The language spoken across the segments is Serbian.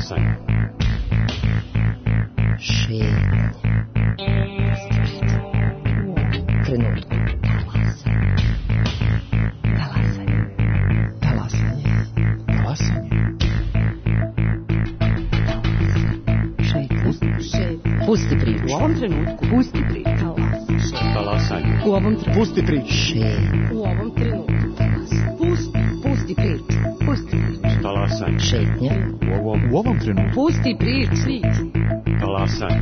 Talasanje. Šetnja. Trenutku. Talasanje. Talasanje. Talasanje. Pusti priču. U ovom trenutku. Pusti priču. Talasanje. U ovom trenutku. Pusti priču. U ovom trenutku. Pusti priču. Pusti priču. Talasanje. Šetnja. U ovom trenutku. Pusti priču. Talasanje.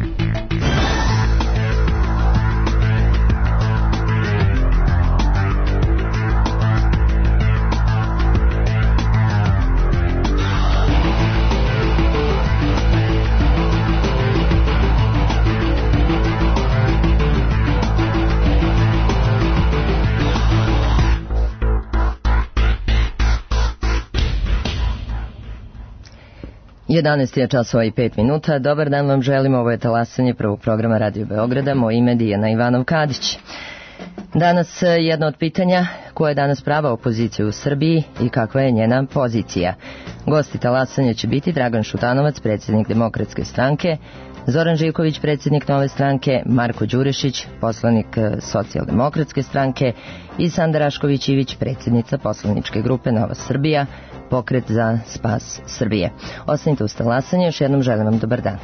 Jedanaest je časova i 5 minuta. Dobar dan vam želim, ovo je Talasanje prvog programa Radio Beograda. Moje ime je Dijana Ivanov-Kadić. Danas jedno od pitanja, koja je danas prava opozicija u Srbiji i kakva je njena pozicija. Gosti Talasanja će biti Dragan Šutanovac, predsjednik Demokratske stranke, Zoran Živković, predsjednik Nove stranke, Marko Đurešić, poslanik Socijaldemokratske stranke i Sanda Rašković-Ivić, predsjednica poslaničke grupe Nova Srbija, Pokret za spas Srbije. Ostanite uz Talasanje, još jednom želim vam dobar dan.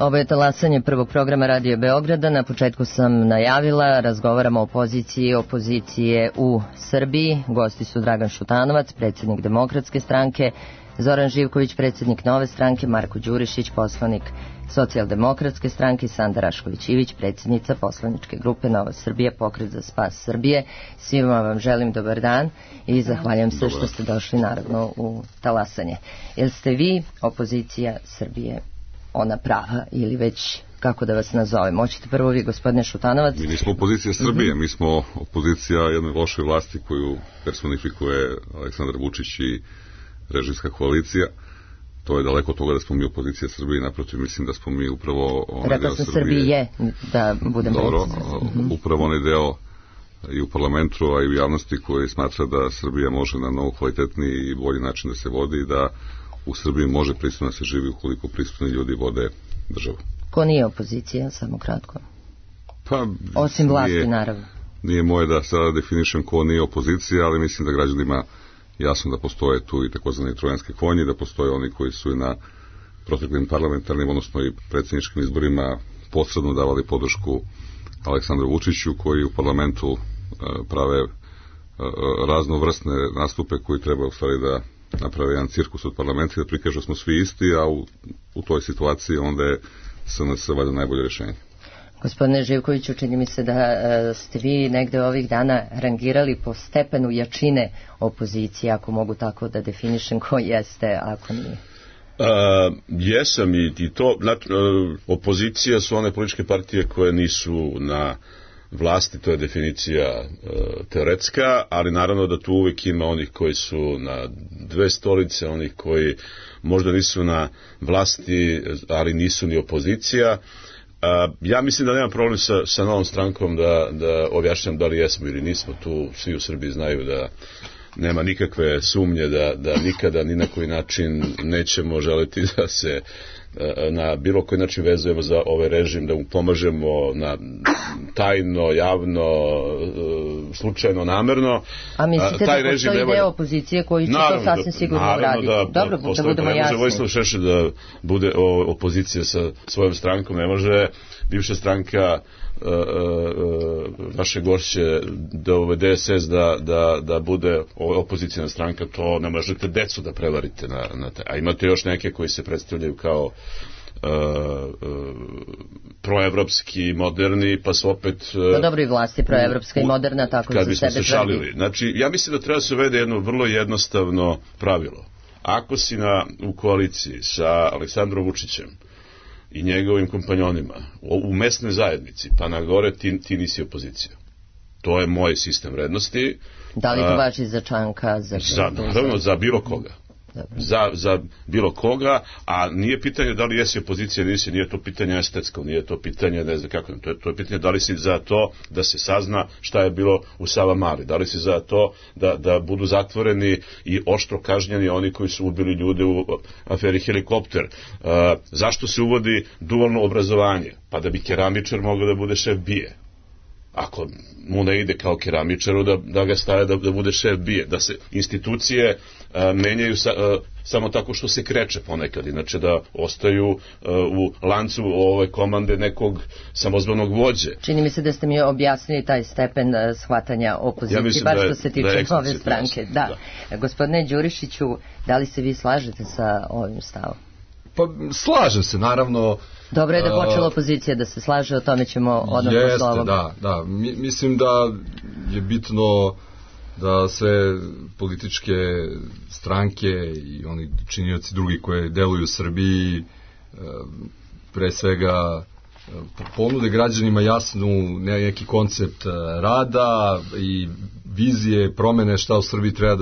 Ovo je Talasanje prvog programa Radio Beograda. Na početku sam najavila, razgovaramo o poziciji opozicije u Srbiji. Gosti su Dragan Šutanovac, predsjednik Demokratske stranke, Zoran Živković, predsjednik Nove stranke, Marko Đurišić, poslanik Socijaldemokratske stranke, Sanda Rašković-Ivić, predsjednica poslaničke grupe Nova Srbija, Pokret za spas Srbije. Svima vam želim dobar dan i zahvaljujem se što ste došli naravno u talasanje. Jel ste vi opozicija Srbije, ona prava, ili već kako da vas nazovem? Hoćete prvo vi, gospodine Šutanovac? Mi nismo opozicija Srbije, mi smo opozicija jednoj lošoj vlasti koju personifikuje Aleksandar Vučić i režimska koalicija. To je daleko od toga da smo mi opozicija Srbije, naprotiv, mislim da smo mi upravo onaj deo Srbije, da budem upravo onaj deo i u parlamentu, a i u javnosti koji smatra da Srbija može na mnogo kvalitetniji i bolji način da se vodi i da u Srbiji može pristojno da se živi ukoliko pristojni ljudi vode državu. Ko nije opozicija, samo kratko? Pa, osim vlasti, naravno. Nije moje da sada definišem ko nije opozicija, ali mislim da građanima jasno da postoje tu i takozvani trojanski konji, da postoje oni koji su i na proteklim parlamentarnim, odnosno i predsjedničkim izborima posredno davali podršku Aleksandru Vučiću, koji u parlamentu prave raznovrsne nastupe koji treba u stvari da naprave jedan cirkus od parlamenta i da prikažu smo svi isti, a u toj situaciji onda je SNS valjda najbolje rješenje. Gospodine Živkoviću, čini mi se da ste vi negde ovih dana rangirali po stepenu jačine opozicije, ako mogu tako da definišem ko jeste, ako nije. Jesam i to, opozicija su one političke partije koje nisu na vlasti, to je definicija teoretska, ali naravno da tu uvijek ima onih koji su na dve stolice, onih koji možda nisu na vlasti, ali nisu ni opozicija. Ja mislim da nema problem sa Novom strankom da objašnjam da li jesmo ili nismo. Tu svi u Srbiji znaju da nema nikakve sumnje da nikada ni na koji način nećemo želiti da se na bilo koji način vezujemo za ovaj režim, da mu pomažemo na tajno, javno, slučajno, namerno. A mislite da postoji deo opozicije koji će to sasvim sigurno uraditi? Dobro, da budemo jasni. Ne može Vojislav Šešelj da bude opozicija sa svojom strankom, ne može bivša stranka vaše gošće da uvede DSS da bude opozicijna stranka, to ne možete decu da prevarite na te. A imate još neke koji se predstavljaju kao proevropski, moderni, pa su opet dobro i vlasti proevropska i moderna, tako kad bismo se šalili. Znači, ja mislim da treba se uvede jedno vrlo jednostavno pravilo. Ako si u koaliciji sa Aleksandrom Vučićem i njegovim kompanjonima u mesnoj zajednici, pa na gore ti nisi opozicija. To je moj sistem vrednosti. Da li to važi za Čanka? Naravno, za bilo koga. Za bilo koga, a nije pitanje da li jesi opozicija ili nisi, nije to pitanje estetsko, nije to pitanje, ne znam kako, to je pitanje da li si za to da se sazna šta je bilo u Savamali, da li si za to da budu zatvoreni i oštro kažnjeni oni koji su ubili ljude u aferi Helikopter. Zašto se uvodi dualno obrazovanje? Pa da bi keramičar mogao da bude šef BIA. Ako mu ne ide kao keramičaru, da ga stave da bude šef BIA, da se institucije menjaju samo tako što se kreće ponekad, inače da ostaju u lancu komande nekog samozvanog vođe. Čini mi se da ste mi objasnili taj stepen shvatanja opozicije, bar što se tiče Nove stranke. Da. Gospodine Đurišiću, da li se vi slažete sa ovim stavom? Pa slažem se, naravno. Dobro je da počela opozicija da se slaže, o tome ćemo odmah posle ovoga. Da. Mislim da je bitno da sve političke stranke i oni činioci drugi koje deluju u Srbiji pre svega ponude građanima jasnu neki koncept rada i vizije, promene šta u Srbiji treba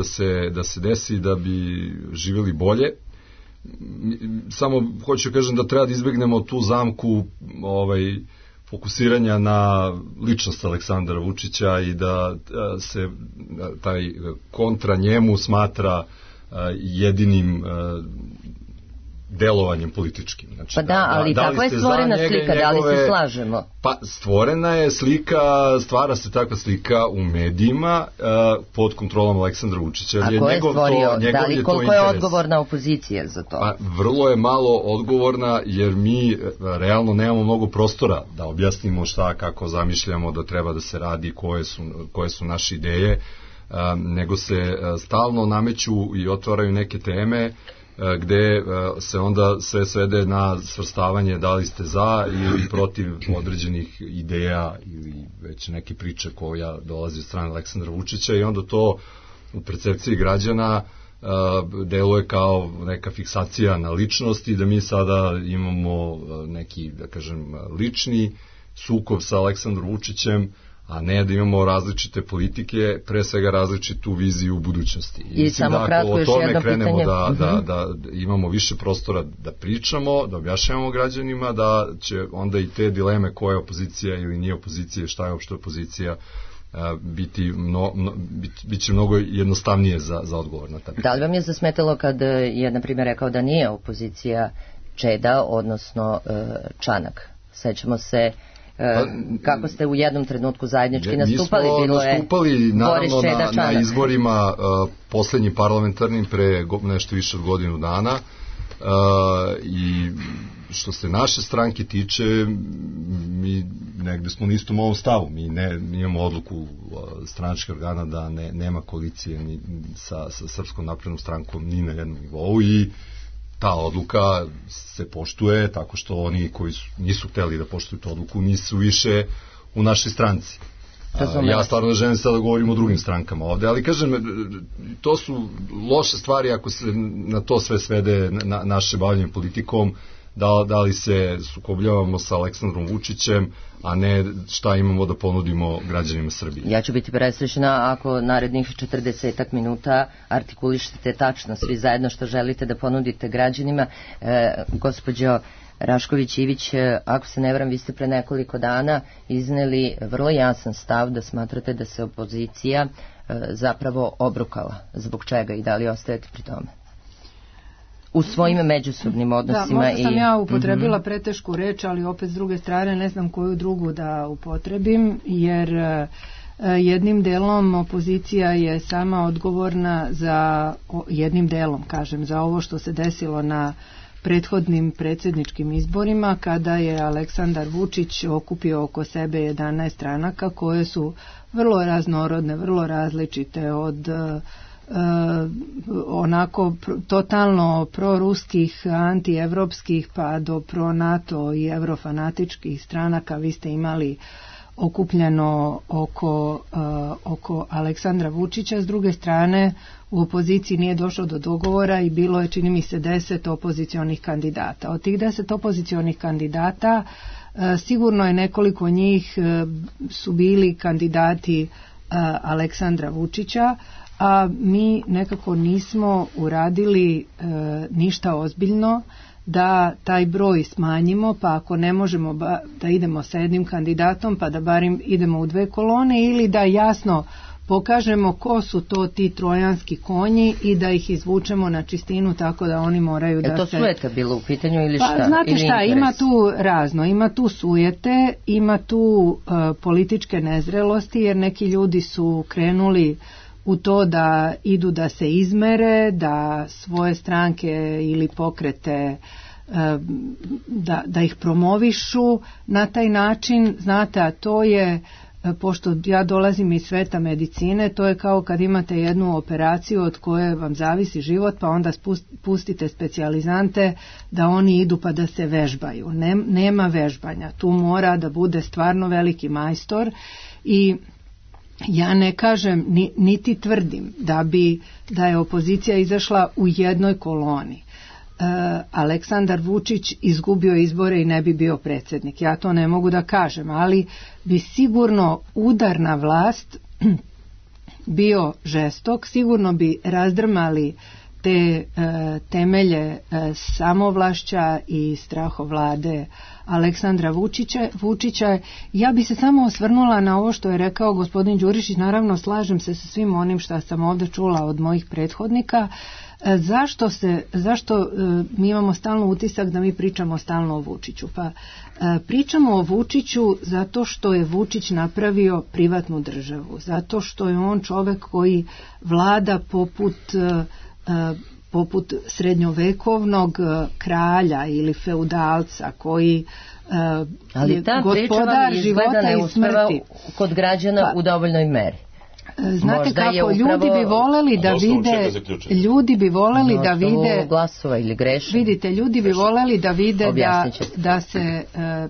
da se desi da bi živjeli bolje. Samo hoću kažem da treba da izbegnemo tu zamku fokusiranja na ličnost Aleksandra Vučića i da se taj kontra njemu smatra jedinim delovanjem političkim. Znači, pa da, ali tako je stvorena slika, da li se slažemo? Pa stvorena je slika, stvara se takva slika u medijima pod kontrolom Aleksandra Vučića. A ko je stvorio? Da li koliko je odgovorna opozicija za to? Pa vrlo je malo odgovorna, jer mi realno nemamo mnogo prostora da objasnimo šta, kako zamišljamo da treba da se radi, koje su naše ideje, nego se stalno nameću i otvaraju neke teme gde se onda sve svede na svrstavanje da li ste za ili protiv određenih ideja ili već neke priče koja dolazi od strane Aleksandra Vučića, i onda to u percepciji građana deluje kao neka fiksacija na ličnost i da mi sada imamo neki, da kažem, lični sukob sa Aleksandrom Vučićem, a ne da imamo različite politike, pre svega različitu viziju u budućnosti. I mislim da ako o tome krenemo da imamo više prostora da pričamo, da objašnjavamo građanima, da će onda i te dileme koja je opozicija ili nije opozicija, šta je uopšte opozicija, bit će mnogo jednostavnije za odgovor na ta pitanja. Da li vam je zasmetalo kad je, na primjer, rekao da nije opozicija Čeda, odnosno Čanak? Sećamo se kako ste u jednom trenutku zajednički nastupali. Mi smo nastupali naravno na izborima poslednjim parlamentarnim pre nešto više od godinu dana, i što se naše stranke tiče, mi negde smo na istom ovom stavu. Mi imamo odluku stranačkih organa da nema koalicije ni sa Srpskom naprednom strankom ni na jednom nivou, i ta odluka se poštuje tako što oni koji nisu hteli da poštuju tu odluku nisu više u našoj stranci. Ja stvarno želim sada da govorim o drugim strankama ovde, ali kažem, to su loše stvari ako se na to sve svede naše bavljanje politikom, da li se sukobljavamo sa Aleksandrom Vučićem, a ne šta imamo da ponudimo građanima Srbije. Ja ću biti presrećna ako narednih 40 minuta artikulišete tačno svi zajedno što želite da ponudite građanima. Gospođo Rašković-Ivić, ako se ne varam, vi ste pre nekoliko dana izneli vrlo jasan stav da smatrate da se opozicija zapravo obrukala. Zbog čega i da li ostajete pri tome? U svojim međusobnim odnosima. Da, možda sam ja upotrebila pretešku reč, ali opet s druge strane ne znam koju drugu da upotrebim, jer jednim delom opozicija je sama odgovorna za, jednim delom kažem, za ovo što se desilo na prethodnim predsjedničkim izborima, kada je Aleksandar Vučić okupio oko sebe 11 stranaka koje su vrlo raznorodne, vrlo različite, od onako totalno proruskih, antievropskih pa do pro-NATO i evrofanatičkih stranaka. Vi ste imali okupljeno oko Aleksandra Vučića. S druge strane, u opoziciji nije došlo do dogovora i bilo je, čini mi se, 10 opozicionih kandidata. Od tih 10 opozicionih kandidata sigurno je nekoliko njih su bili kandidati Aleksandra Vučića, a mi nekako nismo uradili ništa ozbiljno da taj broj smanjimo, pa ako ne možemo da idemo sa jednim kandidatom, pa da barim idemo u 2 kolone, ili da jasno pokažemo ko su to ti trojanski konji i da ih izvučemo na čistinu tako da oni moraju da se... Je to sujeta bilo u pitanju ili šta? Pa znate šta, ima tu razno, ima tu sujete, ima tu političke nezrelosti, jer neki ljudi su krenuli u to da idu da se izmere, da svoje stranke ili pokrete da ih promovišu na taj način. Znate, a to je, pošto ja dolazim iz sveta medicine, to je kao kad imate jednu operaciju od koje vam zavisi život, pa onda pustite specijalizante da oni idu pa da se vežbaju. Nema vežbanja, tu mora da bude stvarno veliki majstor. I ja ne kažem, niti tvrdim da je opozicija izašla u jednoj koloni. Aleksandar Vučić izgubio izbore i ne bi bio predsjednik. Ja to ne mogu da kažem, ali bi sigurno udar na vlast bio žestok, sigurno bi razdrmali te temelje samovlašća i strahovlade Aleksandra Vučića. Ja bi se samo osvrnula na ovo što je rekao gospodin Đurišić. Naravno, slažem se sa svim onim što sam ovdje čula od mojih prethodnika. Zašto mi imamo stalno utisak da mi pričamo stalno o Vučiću? Pa pričamo o Vučiću zato što je Vučić napravio privatnu državu, zato što je on čovjek koji vlada poput srednjovekovnog kralja ili feudalca koji ali je gospodar života i smrti. Kod građana u dovoljnoj meri. znate Možda je kako, upravo- ljudi bi voleli da osnovu čega vide, zaključujete? ljudi bi voleli da vide, glasova ili grešim. vidite, ljudi bi voleli da vide Objasnit ćete.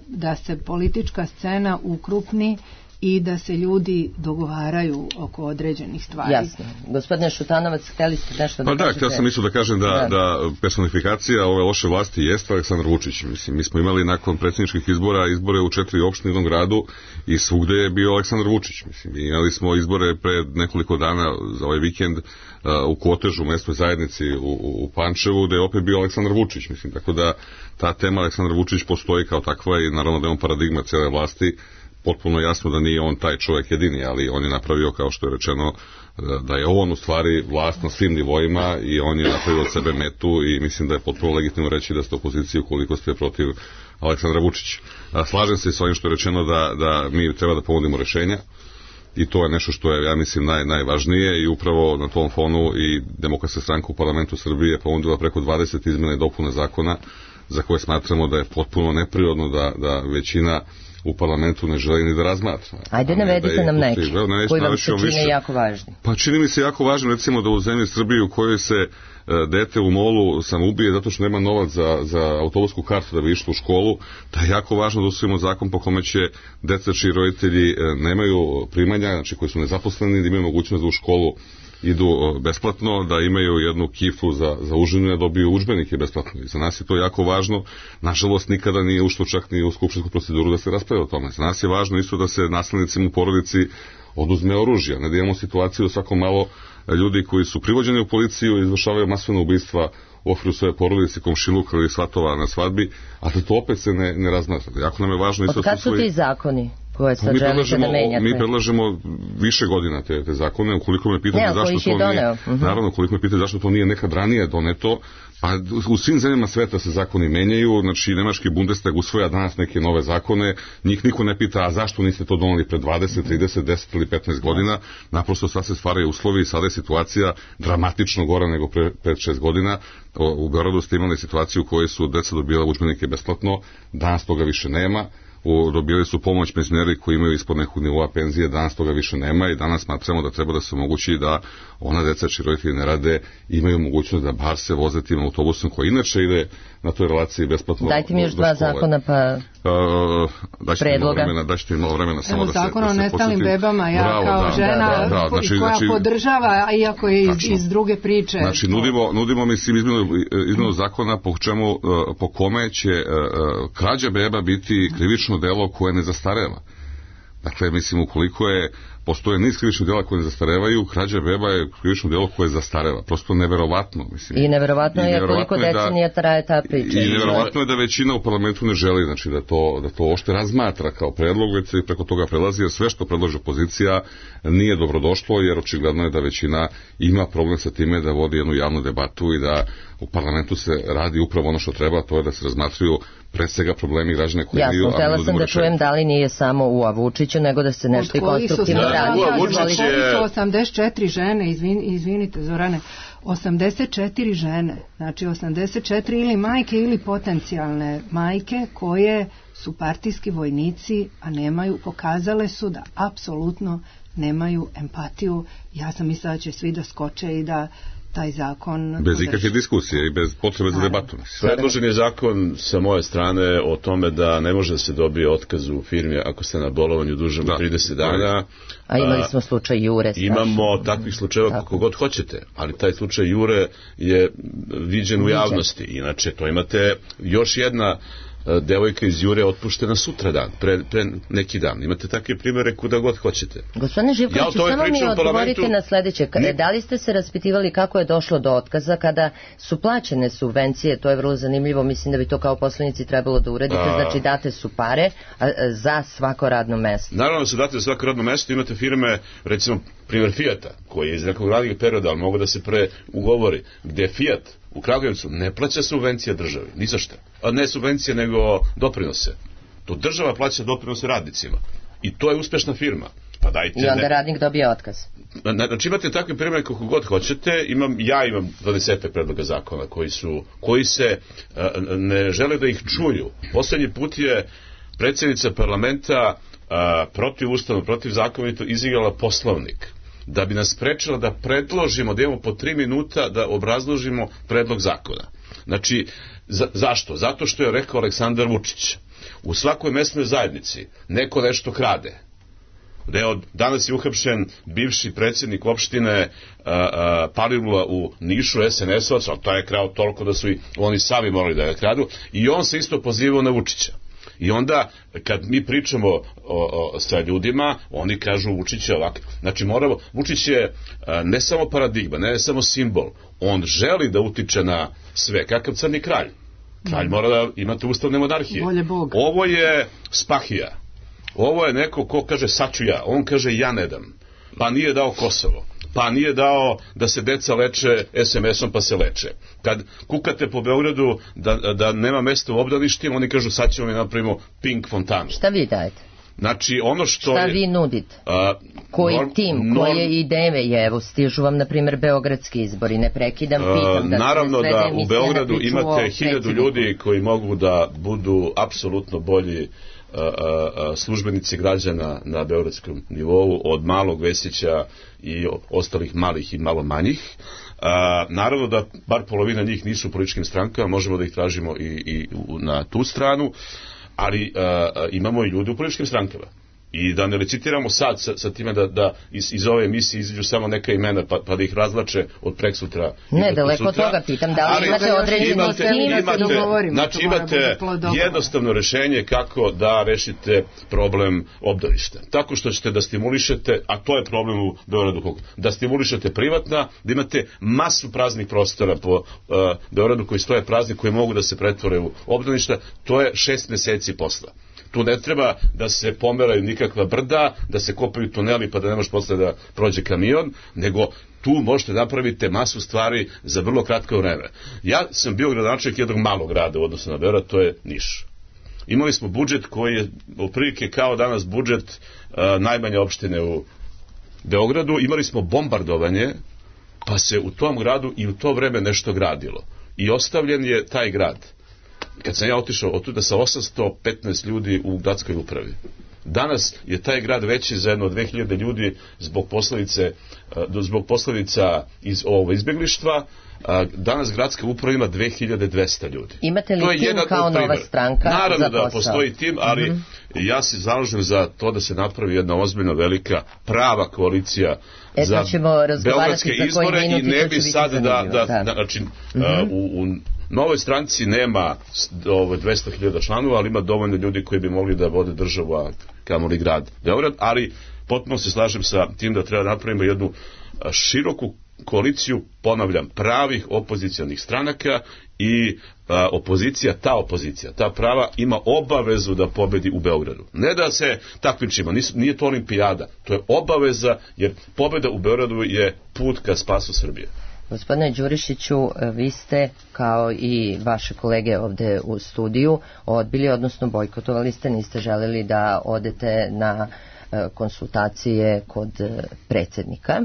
da se politička scena ukrupni i da se ljudi dogovaraju oko određenih stvari. Jasno. Gospodine Šutanovac, hteli ste nešto da Pa da, kažete? htio sam isto da kažem da personifikacija ove loše vlasti jeste Aleksandar Vučić. Mislim, mi smo imali nakon predsjedničkih izbora izbore u 4 opštine u jednom gradu i svugde je bio Aleksandar Vučić. Mislim, imali smo izbore pred nekoliko dana za ovaj vikend u Kotežu, u mestnoj zajednici u Pančevu, gde je opet bio Aleksandar Vučić. Mislim, tako da ta tema Aleksandar Vučić postoji kao takva i naravno da je on paradigma cijele vlasti. Potpuno jasno da nije on taj čovjek jedini, ali on je napravio, kao što je rečeno, da je on u stvari vlast na svim nivoima i on je napravio od sebe metu i mislim da je potpuno legitimno reći da ste u opoziciji ukoliko ste protiv Aleksandra Vučića. Slažem se s ovim što je rečeno da mi treba da ponudimo rešenja i to je nešto što je, ja mislim, najvažnije i upravo na tom fonu i Demokratska stranka u parlamentu Srbije je ponudila preko 20 izmjena i dopuna zakona za koje smatramo da je potpuno neprirodno da većina u parlamentu ne želi ni da razmatra. Ajde, navedite nam neki koji vam se čine jako važni. Pa čini mi se jako važno, recimo, da u zemlji Srbiji u kojoj se dete u molu samoubije zato što nema novac za autobusku kartu da bi išlo u školu, da je jako važno da usvojimo zakon po kome će deca čiji roditelji nemaju primanja, znači koji su nezaposleni, da imaju mogućnost da u školu idu besplatno, da imaju jednu kiflu za užinu, da dobiju udžbenike besplatno. I za nas je to jako važno. Nažalost, nikada nije ušlo čak ni u skupštinsku proceduru da se raspravlja o tome. Za nas je važno isto da se nasilnicima u porodici oduzme oružja. Ne da imamo situaciju svako malo ljudi koji su privođeni u policiju i izvršavaju masovna ubistva u okviru svoje porodice, komšiluka ili svatova na svadbi, a da to opet se ne razmatra. Jako nam je važno isto... Od kad su ti zakoni koje sad želite da menjate? Mi predlažemo više godina te zakone, ukoliko me pitate zašto to nije... Naravno, ukoliko me pitate zašto to nije nekad ranije doneto, pa u svim zemljama sveta se zakoni menjaju, znači nemački Bundestag usvoja danas neke nove zakone, njih niko ne pita, a zašto niste to doneli pred 20, 30, 10 ili 15 godina, naprosto sad se stvaraju uslovi i sada je situacija dramatično gora nego pre 5-6 godina. U Beogradu ste imali situaciju u kojoj su deca dobila udžbenike besplatno, danas toga više nema. Dobili su pomoć penzioneri koji imaju ispod nekog nivoa penzije, danas toga više nema i danas smatramo da treba da se omogući da ona deca čiji roditelji ne rade imaju mogućnost da bar se voze tim autobusom koji inače ide na toj relaciji besplatno. Dajte mi još dva zakona pa predloga. Daćete mi malo vremena samo da se Zakon o nestalim bebama, ja kao žena koja podržava, iako je iz druge priče. Znači nudimo mislim izmjenu zakona po kome će krađa beba biti krivično delo koje ne zastareva. Dakle, mislim, ukoliko postoje niz krivičnih dela koje ne zastarevaju, krađa beba je krivično delo koje zastareva. Prosto neverovatno. Mislim. I neverovatno je koliko decenija traje ta priča. I neverovatno je da većina u parlamentu ne želi, znači da to ošte razmatra kao predlog, već se preko toga prelazi, jer sve što predlaže opozicija nije dobrodošlo, jer očigledno je da većina ima problem sa time da vodi jednu javnu debatu i da u parlamentu se radi upravo ono što treba, to je da se razmatruju pre svega problemi građana koji imaju... Jasno, htjela sam da čujem da li nije samo u Vučiću, nego da se nešto i konstruktivno radi. Koji su 84 žene, izvinite Zorane, 84 žene, znači 84 ili majke ili potencijalne majke koje su partijski vojnici, a pokazale su da apsolutno nemaju empatiju. Ja sam mislila da će svi da skoče i da taj zakon... Bez ikakve diskusije i bez potrebe za debatu. Predložen je zakon sa moje strane o tome da ne može da se dobije otkaz u firmi ako ste na bolovanju dužem od 30 dana. A imali smo slučaj Jure. Imamo takvih slučajeva kako god hoćete, ali taj slučaj Jure je viđen u javnosti. Inače, to imate još jedna devojka iz Jure otpuštena sutradan, pre neki dan. Imate takve primjere kuda god hoćete. Gospodine Živkoviću, samo mi odgovorite na sljedeće. Da li ste se raspitivali kako je došlo do otkaza kada su plaćene subvencije? To je vrlo zanimljivo. Mislim da bi to kao poslanici trebalo da uredite. Znači date su pare za svako radno mesto. Naravno da se date za svako radno mesto. Imate firme, recimo primjer Fijata, koji je iz nekog radnog perioda, ali mogu da se ugovori, gdje Fijat u Kragujevcu ne plaća subvencija državi, ni za šta. A ne subvencije, nego doprinose. To država plaća doprinose radnicima. I to je uspešna firma. Pa dajte, i onda radnik dobije otkaz. Znači imate takve primjere kako god hoćete. Ja imam 20 predloga zakona koji se ne žele da ih čuju. Poslednji put je predsjednica parlamenta protiv ustavno, protiv zakonito izigrala Poslovnik. da bi nas sprečila da predložimo, da imamo po 3 minuta da obrazložimo predlog zakona. Znači, zašto? Zato što je rekao Aleksandar Vučić, u svakoj mesnoj zajednici neko nešto krade. Danas je uhapšen bivši predsjednik opštine Palilula u Nišu, SNS-ovac, ali taj je krao toliko da su i oni sami morali da ga kradu, i on se isto pozivao na Vučića. I onda, kad mi pričamo sa ljudima, oni kažu Vučić je ovakav. Znači, Vučić je ne samo paradigma, ne samo simbol, on želi da utiče na sve, kakav crni kralj. Kralj mora da imate ustavne monarhije. Ovo je Spahija. Ovo je neko ko kaže sad ću ja, on kaže ja ne dam. Pa nije dao Kosovo, pa nije dao da se deca leče SMS-om pa se leče. Kad kukate po Beogradu da nema mesta u obdaništima, oni kažu sad ćemo mi napravimo pink fontanu. Šta vi dajete? Znači, ono što šta vi nudite? Koji tim, koje ideje? Evo, stižu vam, na primjer, beogradski izbori, ne prekidam, pitam. Naravno da u Beogradu imate 1000 ljudi koji mogu da budu apsolutno bolji službenici građana na beogradskom nivou, od Malog Vesića i ostalih malih i malo manjih. Naravno da bar polovina njih nisu u političkim strankama, možemo da ih tražimo i na tu stranu, ali imamo i ljudi u političkim strankama. I da ne recitiramo sad sa time da iz ove emisije izađu samo neka imena pa da ih razlače od preksutra. Ne, daleko od toga pitam, da li imate određeno s tim? Znači imate jednostavno rešenje kako da rešite problem obdaništa. Tako što ćete da stimulišete, a to je problem u Beogradu, da stimulišete privatna, da imate masu praznih prostora po Beogradu koji stoje prazni, koji mogu da se pretvore u obdaništa, to je 6 meseci posla. Tu ne treba da se pomeraju nikakva brda, da se kopaju tuneli pa da ne može posle da prođe kamion, nego tu možete napraviti masu stvari za vrlo kratko vreme. Ja sam bio gradonačelnik jednog malog grada u odnosu na Beograd, to je Niš. Imali smo budžet koji je otprilike kao danas budžet najmanje opštine u Beogradu, imali smo bombardovanje, pa se u tom gradu i u to vreme nešto gradilo. I ostavljen je taj grad. Kad sam ja otišao otuda sa 815 ljudi u gradskoj upravi. Danas je taj grad veći za jedno 2000 ljudi zbog posledica iz izbjeglištva. Danas gradska uprava ima 2200 ljudi. Imate li tim kao nova stranka? Naravno da postoji tim, ali ja se zalažem za to da se napravi jedna ozbiljna, velika, prava koalicija za beogradske izbore i ne bi sad znači, u Novoj stranci nema 200.000 članova, ali ima dovoljno ljudi koji bi mogli da vode državu, a kamoli grad Beograd, ali potpuno se slažem sa tim da treba napravimo jednu široku koaliciju, ponavljam, pravih opozicijalnih stranaka i opozicija, ta prava ima obavezu da pobedi u Beogradu. Ne da se takmičimo, nije to olimpijada, to je obaveza, jer pobeda u Beogradu je put ka spasu Srbije. Gospodine Đurišiću, vi ste, kao i vaše kolege ovde u studiju, odbili, odnosno bojkotovali ste, niste želeli da odete na konsultacije kod predsjednika.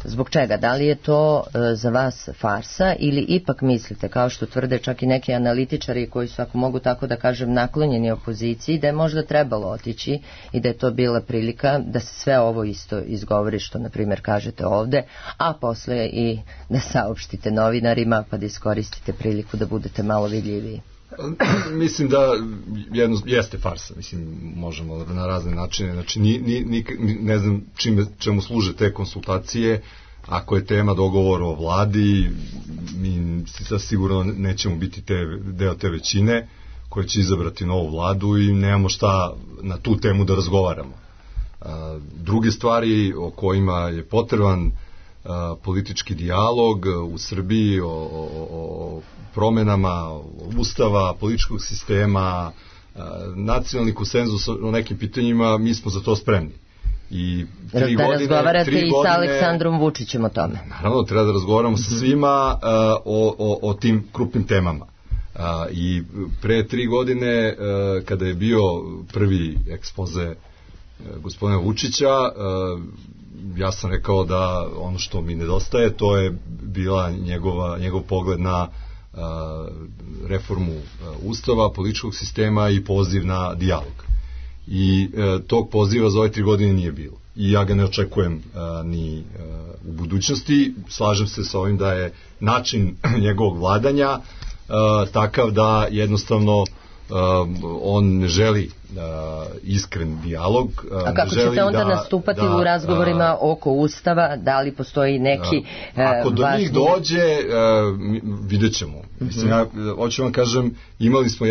Zbog čega? Da li je to za vas farsa ili ipak mislite, kao što tvrde čak i neki analitičari koji su, ako mogu tako da kažem, naklonjeni opoziciji, da je možda trebalo otići i da je to bila prilika da se sve ovo isto izgovori što, na primjer, kažete ovde, a posle i da saopštite novinarima pa da iskoristite priliku da budete malo vidljiviji? Mislim da jeste farsa, mislim, možemo na razne načine, znači ne znam čemu služe te konsultacije. Ako je tema dogovor o vladi, mi sigurno nećemo biti deo te većine koja će izabrati novu vladu i nemamo šta na tu temu da razgovaramo. Druge stvari o kojima je potreban politički dijalog u Srbiji o promenama ustava, političkog sistema, nacionalni konsenzus o nekim pitanjima, mi smo za to spremni. I da razgovarate i sa Aleksandrom Vučićem o tome. Naravno, treba da razgovaramo sa svima o tim krupnim temama. I pre 3 godine, kada je bio prvi ekspoze gospodina Vučića, ja sam rekao da ono što mi nedostaje, to je bila njegov pogled na reformu ustava, političkog sistema i poziv na dijalog. I tog poziva za ove 3 godine nije bilo. i ja ga ne očekujem ni u budućnosti. Slažem se sa ovim da je način njegovog vladanja takav da jednostavno on ne želi iskren dijalog. A kako ćete onda nastupati u razgovorima oko Ustava? Da li postoji neki ako do njih dođe, vidjet ćemo. Mislim, ja hoću vam kažem, imali smo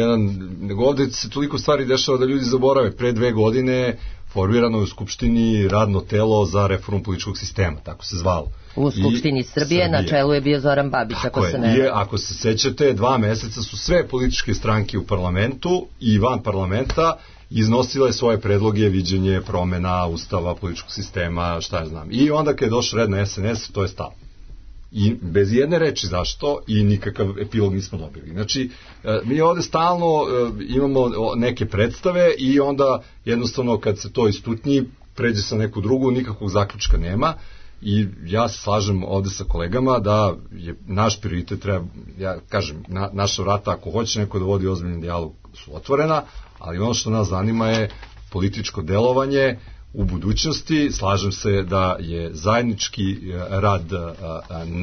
nego ovde se toliko stvari dešava da ljudi zaborave. Pre 2 godine formirano je u Skupštini radno telo za reformu političkog sistema, tako se zvalo. U Skupštini Srbije na čelu je bio Zoran Babić, ako se ne... Ako se sećate, 2 meseca su sve političke stranke u parlamentu i van parlamenta iznosile svoje predloge, viđenje promena Ustava, političkog sistema, šta ja znam. I onda kad je došao red na SNS, to je stalo. I bez jedne reči zašto i nikakav epilog nismo dobili. Znači, mi ovde stalno imamo neke predstave i onda jednostavno kad se to istutnji, pređe sa neku drugu, nikakvog zaključka nema. I ja se slažem ovde sa kolegama da je naš prioritet, ja kažem, naša vrata, ako hoće neko da vodi ozbiljni dijalog, su otvorena, ali ono što nas zanima je političko delovanje u budućnosti. Slažem se da je zajednički rad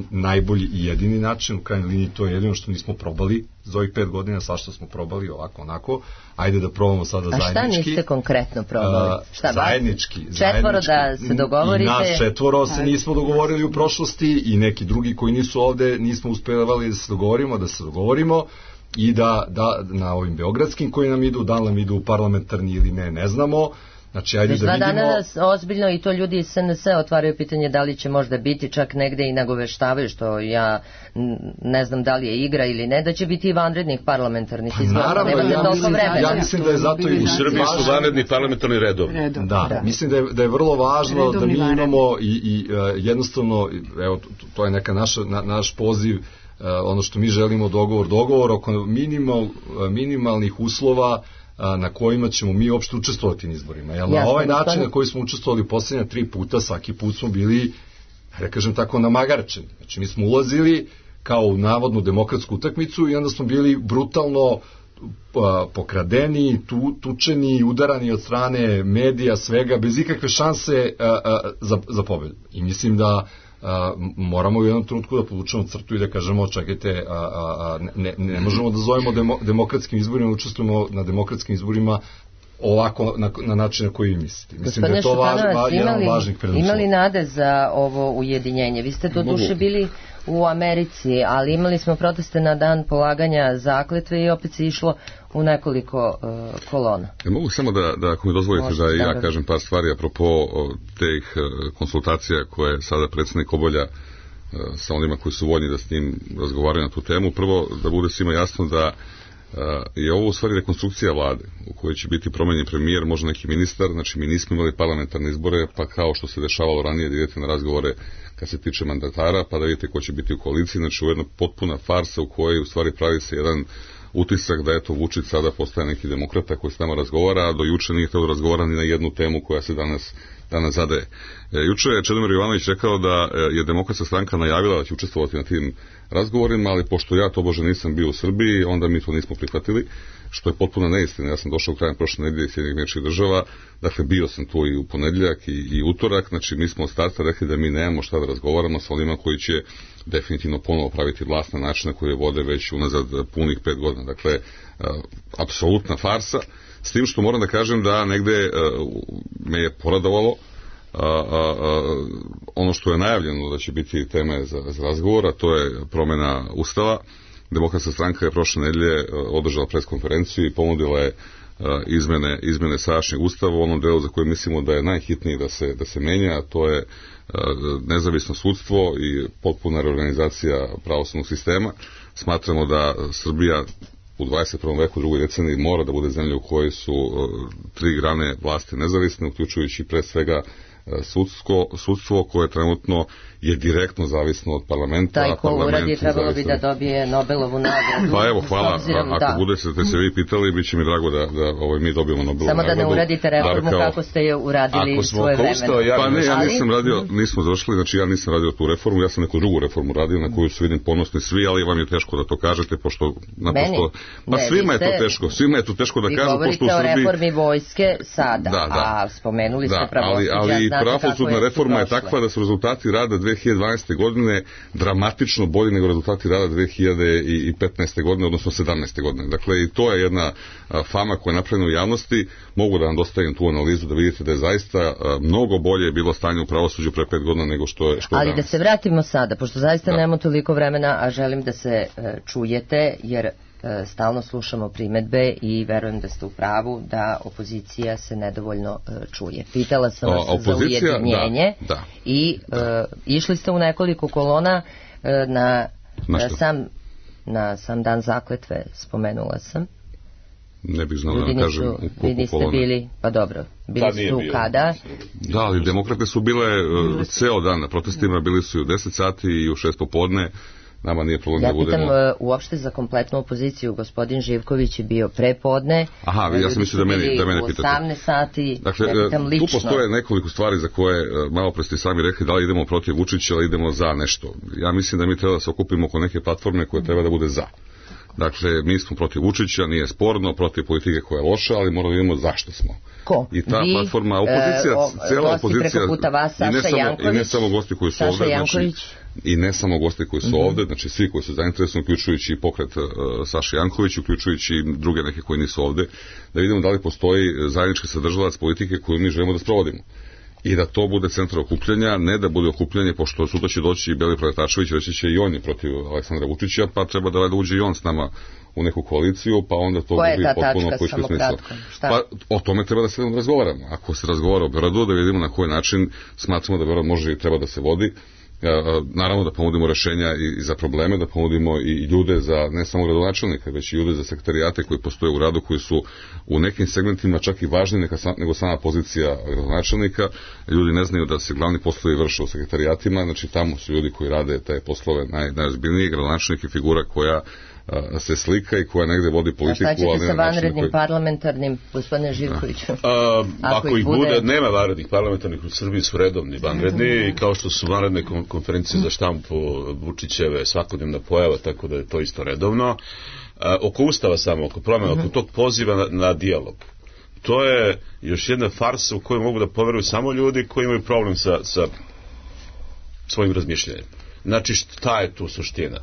najbolji i jedini način, u krajnjoj liniji to je jedino što nismo probali za ovih 5 godina, svašta smo probali ovako, onako, ajde da probamo sada zajednički. A šta niste konkretno probali? Zajednički. 4 da se dogovorite? I nas 4 se nismo dogovorili u prošlosti i neki drugi koji nisu ovde, nismo uspevali da se dogovorimo i da na ovim beogradskim koji nam idu, da li nam idu parlamentarni ili ne znamo. Znači, ajde da vidimo... danas ozbiljno i to ljudi iz SNS otvaraju pitanje da li će možda biti, čak negde i nagoveštavaju, što ja ne znam da li je igra ili ne, da će biti i vanrednih parlamentarnih izbora. Naravno, ja mislim da je zato i u Srbiji su vanredni parlamentarni redovi. Da, mislim da je vrlo važno da mi imamo i jednostavno, evo, to je neka naš poziv, ono što mi želimo, dogovor oko minimalnih uslova na kojima ćemo mi uopšte učestvovati na izborima. Jer na ovaj način na koji smo učestvovali posljednja 3 puta, svaki put smo bili, da kažem tako, namagarčeni. Znači, mi smo ulazili kao u navodnu demokratsku utakmicu i onda smo bili brutalno pokradeni, tučeni, udarani od strane medija, svega, bez ikakve šanse za pobedu. I mislim da moramo u jednom trenutku da povučemo crtu i da kažemo, čekajte, ne možemo da zovemo demokratskim izborima, učestvujemo na demokratskim izborima ovako na način na koji vi mislite. Mislim da je to jedan od važnih preduslova. Imali nade za ovo ujedinjenje? Vi ste do duše bili u Americi, ali imali smo proteste na dan polaganja zakletve i opet se išlo u nekoliko kolona. Mogu samo da ako mi dozvolite da ja kažem par stvari apropo teh konsultacija koje sada predsjednik obavlja sa onima koji su voljni da s njim razgovaraju na tu temu. Prvo, da bude svima jasno da je ovo u stvari rekonstrukcija vlade u kojoj će biti promenjen premijer, možda neki ministar. Znači, mi nismo imali parlamentarne izbore, pa kao što se dešavalo ranije da idete na razgovore kad se tiče mandatara, pa da vidite ko će biti u koaliciji. Znači, ovo je jedna potpuna farsa u kojoj u stvari pravi se jedan utisak da eto Vučić sada postaje neki demokrata koji s nama razgovara, a do juče nije htio da razgovara ni na jednu temu koja se danas zadaje. Juče je Čedomir Jovanović rekao da je Demokratska stranka najavila da će učestvovati na tim razgovorima, ali pošto ja tobože nisam bio u Srbiji, onda mi to nismo prihvatili, što je potpuno neistina. Ja sam došao krajem prošle nedelje iz Sjedinjenih Američkih Država, dakle bio sam tu i u ponedjeljak i utorak, znači mi smo od starta rekli da mi nemamo šta da razgovaramo sa onima koji će definitivno ponovo praviti vlast na način na koji je vode već unazad punih 5 godina. Dakle, apsolutna farsa, s tim što moram da kažem da negde me je poradovalo ono što je najavljeno da će biti teme za razgovor, a to je promjena Ustava. Demokratska stranka je prošle nedelje održala preskonferenciju i ponudila je izmene sadašnjeg Ustava u onom delu za koje mislimo da je najhitniji da se menja, a to je nezavisno sudstvo i potpuna reorganizacija pravosudnog sistema. Smatramo da Srbija u 21. veku, drugoj deceniji, mora da bude zemlja u kojoj su 3 grane vlasti nezavisne, uključujući pre svega sudstvo koje trenutno je direktno zavisno od parlamenta. Taj ko uradi trebalo bi da dobije Nobelovu nagradu. Pa evo, hvala. Ako budete se vi pitali, bit će mi drago da mi dobijemo Nobelovu nagradu. Samo da ne uradite reformu kako ste je uradili svoje vremena. Pa ne, ja nisam radio, nismo završili, znači ja nisam radio tu reformu, ja sam neku drugu reformu radio na koju su vidim ponosni svi, ali vam je teško da to kažete, pošto naprosto... Pa svima je to teško da kažu, pošto u Srbiji... Vi govorite o reformi vojske sada, a spomenuli ste pravosuđa. znate kako pravosudna reforma je takva da su rezultati rada 2012. godine dramatično bolji nego rezultati rada 2015. godine, odnosno 17. godine. Dakle, i to je jedna fama koja je napravljena u javnosti. Mogu da vam dostavim tu analizu da vidite da je zaista mnogo bolje bilo stanje u pravosuđu pre 5 godina nego što je Ali danas. da se vratimo sada, pošto zaista nemamo toliko vremena, a želim da se čujete, jer stalno slušamo primedbe i verujem da ste u pravu da opozicija se nedovoljno čuje. Pitala sam vas za ujedinjenje i išli ste u nekoliko kolona na sam dan zakletve, spomenula sam. Ne bih znao da vam kažem u koliko kolona. Bili, pa dobro, bili su kada? Da, ali demokrate su bile ceo dan na protestima, bili su i u 10 sati i u 6 popodne. Nama nije problem da budemo... Ja pitam uopšte za kompletnu opoziciju, gospodin Živković je bio prepodne. Aha, ja sam mislio da mene pitate. U 18 sati, dakle, ja pitam lično. Tu postoje nekoliko stvari za koje malo pre ste sami rekli da li idemo protiv Vučića ili idemo za nešto. Ja mislim da mi treba da se okupimo oko neke platforme koja treba da bude za. Dakle, mi smo protiv Vučića, nije sporno, protiv politike koja je loša, ali moramo da vidimo zašto smo. Ko? I ta platforma, opozicija, cela opozicija, i ne samo gosti koji su ovde, znači, i ne samo gosti koji su ovde, znači svi koji su zainteresovani, uključujući i pokret Saše Janković, uključujući i druge neke koji nisu ovde, da vidimo da li postoji zajednički sadržalac politike koju mi želimo da sprovodimo. I da to bude centar okupljanja, ne da bude okupljanje, pošto sutra će doći i Beli Preletačević, reći će i on je protiv Aleksandra Vučića, pa treba da uđe i on s nama u neku koaliciju, pa onda to gubi potpuno politički smisla. Pa o tome treba da se razgovaramo. Ako se razgovara o Beogradu, da vidimo na koji način smatramo da Beograd može i treba da se vodi. Naravno da ponudimo rešenja i za probleme, da ponudimo i ljude za ne samo gradonačelnika, već i ljude za sekretarijate koji postoje u gradu, koji su u nekim segmentima čak i važniji nego sama pozicija gradonačelnika. Ljudi ne znaju da se glavni poslovi vrše u sekretarijatima, znači tamo su ljudi koji rade te poslove najozbiljniji. Gradonačelnik je figura koja se slika i koja negde vodi politiku. A šta ćete sa vanrednim parlamentarnim, gospodine Živkoviću? Ako ih bude, nema vanrednih parlamentarnih u Srbiji, su redovni vanredni i kao što su vanredne konferencije za štampu Vučićeve svakodnevna pojava, tako da je to isto redovno. Oko Ustava samo, oko promjena, oko tog poziva na dijalog. To je još jedna farsa u kojoj mogu da poveruju samo ljudi koji imaju problem sa svojim razmišljanjem. Znači, šta je tu suština?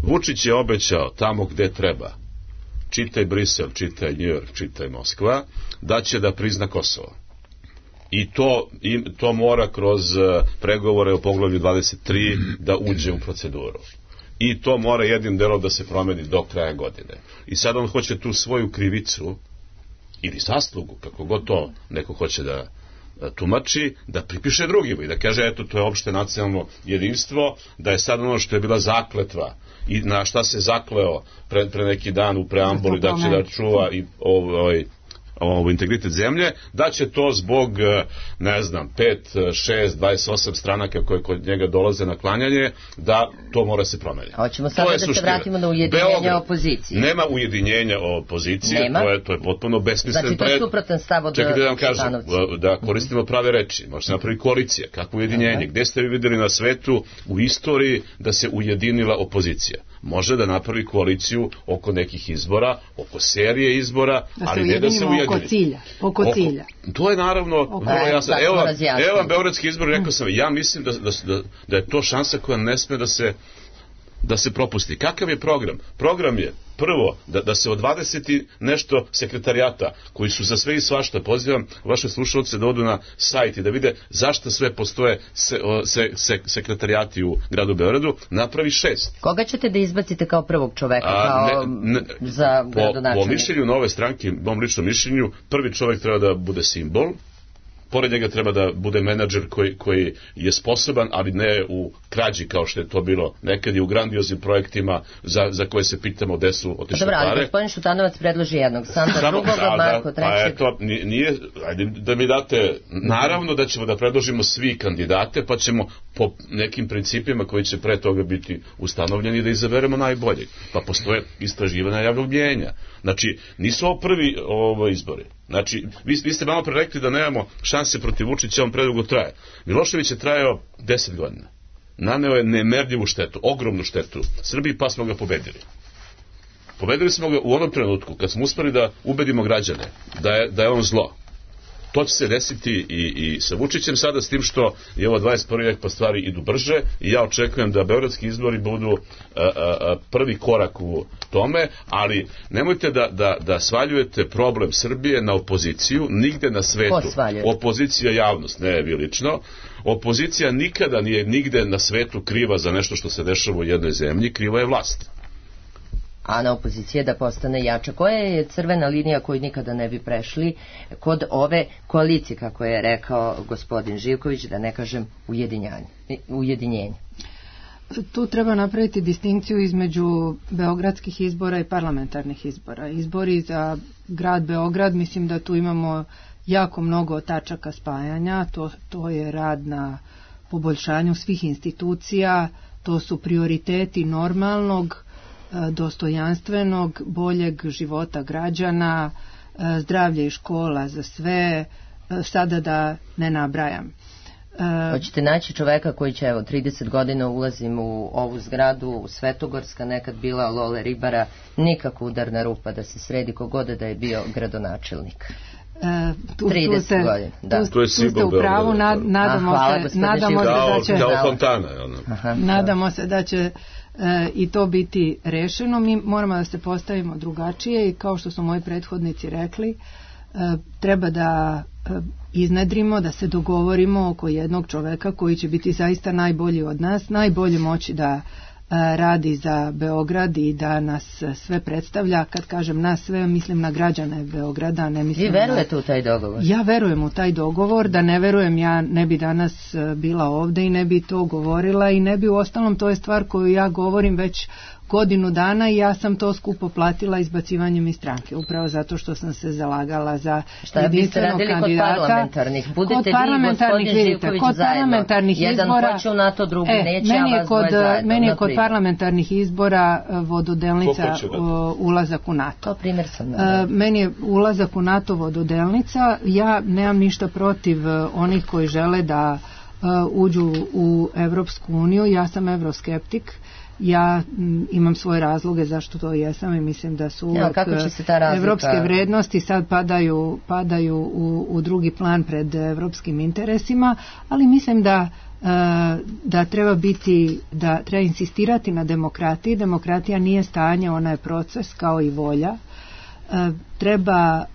Vučić je obećao tamo gde treba, čitaj Brisel, čitaj New York, čitaj Moskva, da će da prizna Kosovo. I to mora kroz pregovore o poglavlju 23 da uđe u proceduru. I to mora jednim delom da se promeni do kraja godine. I sad on hoće tu svoju krivicu ili zaslugu, kako god to neko hoće da tumači, da pripiše drugima i da kaže, eto, to je opšte nacionalno jedinstvo, da je sad ono što je bila zakletva i na šta se zakleo pre neki dan u preambuli, da će da čuva i integritet zemlje, da će to zbog, ne znam, 5, 6, 28 stranaka koje kod njega dolaze na klanjanje, da to mora se promeniti. Hoćemo sada da se vratimo na ujedinjenje opozicije. Nema ujedinjenja opozicije, to je potpuno besmisleno. Znači to je suprotan stav od Čekajte da vam kažem, da koristimo prave reči. Može se napravi koalicija. Kakvo ujedinjenje? Gde ste vi videli na svetu u istoriji da se ujedinila opozicija? Može da napravi koaliciju oko nekih izbora, oko serije izbora, ali ne da se ujedini. Oko cilja. To je naravno vrlo jasno. Evo vam beogradski izbor, rekao sam, ja mislim da je to šansa koja ne sme da se propusti. Kakav je program? Program je prvo da se od 20 nešto sekretarijata koji su za sve i svašta, pozivam vaše slušalce da odu na sajt i da vide zašto sve postoje sekretarijati u gradu Beogradu, napravi 6. Koga ćete da izbacite kao prvog čoveka za gradonačelnika? Po mišljenju Nove stranke, mom ličnom mišljenju, prvi čovek treba da bude simbol, pored njega treba da bude menadžer koji je sposoban, ali ne u krađi kao što je to bilo nekad i u grandioznim projektima za koje se pitamo gde su otišle pare. Dobro, ali gospodin Šutanovac predloži jednog, Sandra drugog, Marko trećeg. Ajde da mi date, naravno da ćemo da predložimo svi kandidate, pa ćemo po nekim principima koji će pre toga biti ustanovljeni da izaberemo najbolji. Pa postoje istraživanja javnog mnijenja. Znači, nisu ovo prvi izbori. Znači, vi ste malo pre rekli da nemamo šanse protiv Vučića, on predugo traje. Milošević je trajao 10 godina. Naneo je nemerljivu štetu, ogromnu štetu Srbiji, pa smo ga pobedili. Pobedili smo ga u onom trenutku kad smo uspeli da ubedimo građane da je on zlo. To će se desiti i sa Vučićem sada, s tim što je ovo 21. vek pa stvari idu brže i ja očekujem da beogradski izbori budu prvi korak u tome, ali nemojte da svaljujete problem Srbije na opoziciju, nigde na svetu. Opozicija javnost, ne vi lično. Opozicija nikada nije nigde na svetu kriva za nešto što se dešava u jednoj zemlji, kriva je vlast. A na opozicije da postane jača. Koja je crvena linija koju nikada ne bi prešli kod ove koalicije, kako je rekao gospodin Živković, da ne kažem ujedinjenje? Tu treba napraviti distinkciju između beogradskih izbora i parlamentarnih izbora. Izbori za grad Beograd, mislim da tu imamo jako mnogo tačaka spajanja, to je rad na poboljšanju svih institucija, to su prioriteti normalnog, dostojanstvenog, boljeg života građana, zdravlje i škola za sve, sada da ne nabrajam. Hoćete naći čoveka koji će, 30 godina ulazim u ovu zgradu, u Svetogorska, nekad bila Lole Ribara, nikako udarna rupa da se sredi kogoda da je bio gradonačelnik. 30 godina. Da. Tu ste u pravu, nadamo se da će i to biti rešeno. Mi moramo da se postavimo drugačije i kao što su moji prethodnici rekli, treba da iznedrimo, da se dogovorimo oko jednog čoveka koji će biti zaista najbolji od nas, najbolje moći da radi za Beograd i da nas sve predstavlja. Kad kažem nas sve, mislim na građane Beograda, ne mislim. Vi verujete u taj dogovor? Ja verujem u taj dogovor, da ne verujem ja ne bi danas bila ovde i ne bi to govorila i ne bi, u ostalom to je stvar koju ja govorim već godinu dana i ja sam to skupo platila izbacivanjem iz stranke, upravo zato što sam se zalagala za jedinstvenog kandidata. Kod parlamentarnih? Budete vi, gospodin Živković, zajedno. Jedan hoće u NATO, drugi neće, a vas dvoje zajedno. Meni je kod parlamentarnih izbora vododelnica ulazak u NATO. To primjer sam. Meni je ulazak u NATO vododelnica. Ja nemam ništa protiv onih koji žele da uđu u Evropsku uniju. Ja sam evroskeptik. Ja imam svoje razloge zašto to jesam i mislim da su uvek evropske vrednosti sad padaju u drugi plan pred evropskim interesima, ali mislim da treba insistirati na demokratiji. Demokratija nije stanje, ona je proces kao i volja. Treba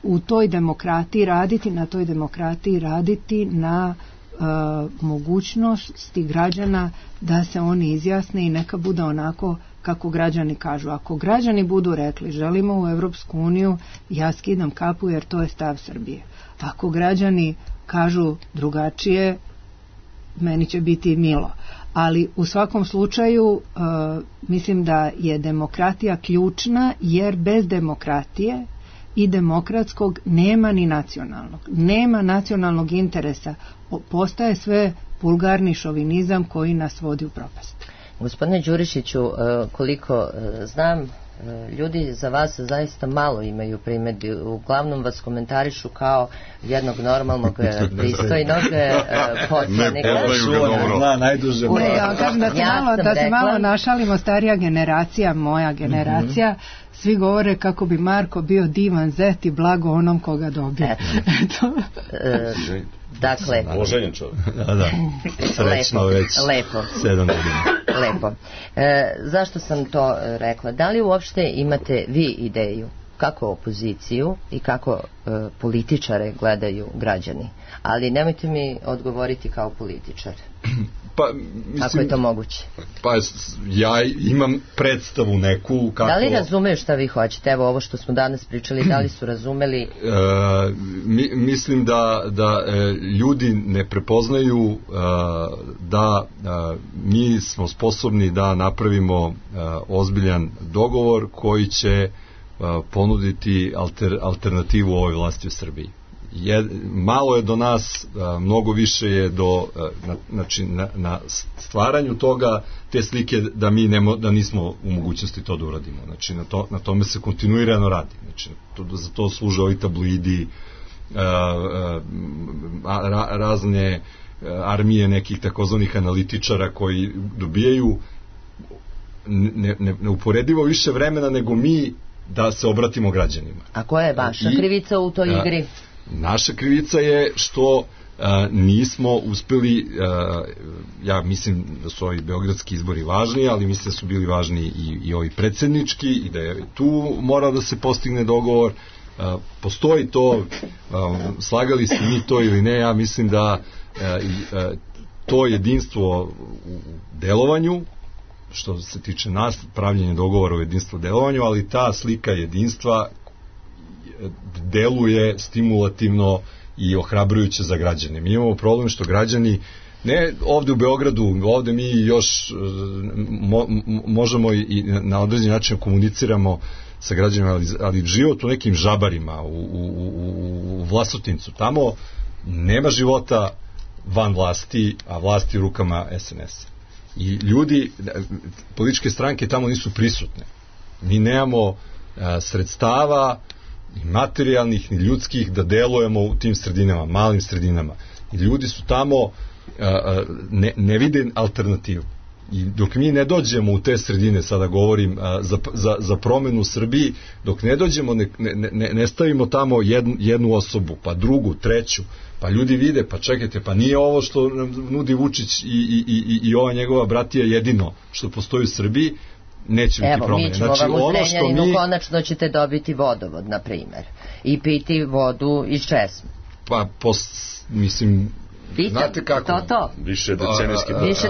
u toj demokratiji raditi, na toj demokratiji raditi na mogućnosti građana da se oni izjasne i neka bude onako kako građani kažu. Ako građani budu rekli želimo u Evropsku uniju, ja skidam kapu jer to je stav Srbije. Ako građani kažu drugačije, meni će biti milo. Ali u svakom slučaju mislim da je demokratija ključna, jer bez demokratije i demokratskog nema ni nacionalnog. Nema nacionalnog interesa. Postaje sve vulgarni šovinizam koji nas vodi u propast. Gospodine Đurišiću, koliko znam, ljudi za vas zaista malo imaju primedbi. Uglavnom vas komentarišu kao jednog normalnog, pristojnog poslanika. Ja kažem da se malo našalimo, starija generacija, moja generacija, svi govore kako bi Marko bio divan zet i blago onom koga dobije. Dakle, oženjen čovjek. Da. Srećno već 7 godina. Lepo. Zašto sam to rekla? Da li uopšte imate vi ideju kako opoziciju i kako političare gledaju građani? Ali nemojte mi odgovoriti kao političar. Pa, mislim, kako je to moguće? Pa ja imam predstavu neku kako... Da li razumeju šta vi hoćete? Evo ovo što smo danas pričali, da li su razumeli? Mislim da ljudi ne prepoznaju da mi smo sposobni da napravimo ozbiljan dogovor koji će ponuditi alternativu ovoj vlasti u Srbiji. Malo je do nas, mnogo više je na stvaranju toga, te slike da nismo u mogućnosti to da uradimo. Znači na tome se kontinuirano radi. Znači za to služe ovi tabloidi, razne armije nekih takozvanih analitičara koji dobijaju neuporedivo više vremena nego mi da se obratimo građanima. A koja je vaša krivica u toj igri? Naša krivica je što nismo uspeli, ja mislim da su ovi beogradski izbori važni, ali mislim da su bili važni i ovi predsjednički i da je tu mora da se postigne dogovor. Postoji to, slagali se mi to ili ne, ja mislim da to jedinstvo u delovanju, što se tiče nas, pravljenje dogovora o jedinstvu u delovanju, ali ta slika jedinstva deluje stimulativno i ohrabrujuće za građane. Mi imamo problem što građani, ne ovde u Beogradu, ovde mi još možemo i na određen način komuniciramo sa građanima, ali život u nekim žabarima, u Vlasotincu, tamo nema života van vlasti, a vlasti u rukama SNS. I ljudi, političke stranke tamo nisu prisutne. Mi nemamo sredstava ni materijalnih, ni ljudskih da delujemo u tim sredinama, malim sredinama. I ljudi su tamo, ne vide alternativu. I dok mi ne dođemo u te sredine, sada govorim za promenu u Srbiji, dok ne dođemo, ne stavimo tamo jednu osobu, pa drugu, treću, pa ljudi vide, pa čekajte, pa nije ovo što nudi Vučić i ova njegova bratija jedino što postoji u Srbiji, neće biti promene. Mi ćemo vam u Zrenjaninu, konačno ćete dobiti vodovod, na primer, i piti vodu iz česme. Pa, mislim, znate kako? To. Više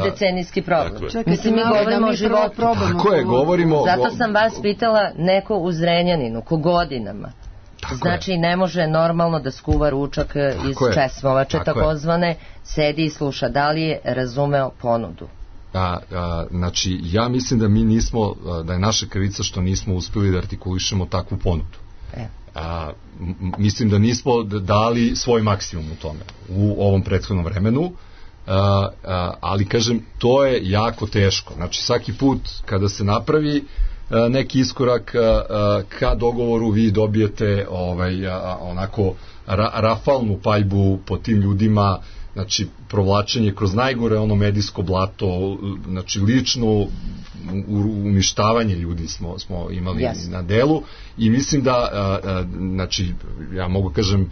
decenijski problem. Mislim, mi govorimo o životu. Tako je, govorimo... Zato sam vas pitala, neko u Zrenjaninu, ko godinama, znači ne može normalno da skuva ručak iz česmovače, takozvane, sedi i sluša. Da li je razumeo ponudu? Znači, ja mislim da mi nismo, da je naša krivica što nismo uspeli da artikulišemo takvu ponudu. Mislim da nismo dali svoj maksimum u tome u ovom prethodnom vremenu, ali kažem, to je jako teško. Znači, svaki put kada se napravi neki iskorak ka dogovoru, vi dobijete onako rafalnu paljbu po tim ljudima, znači provlačenje kroz najgore ono medijsko blato, znači lično uništavanje ljudi smo imali na delu i mislim da znači ja mogu kažem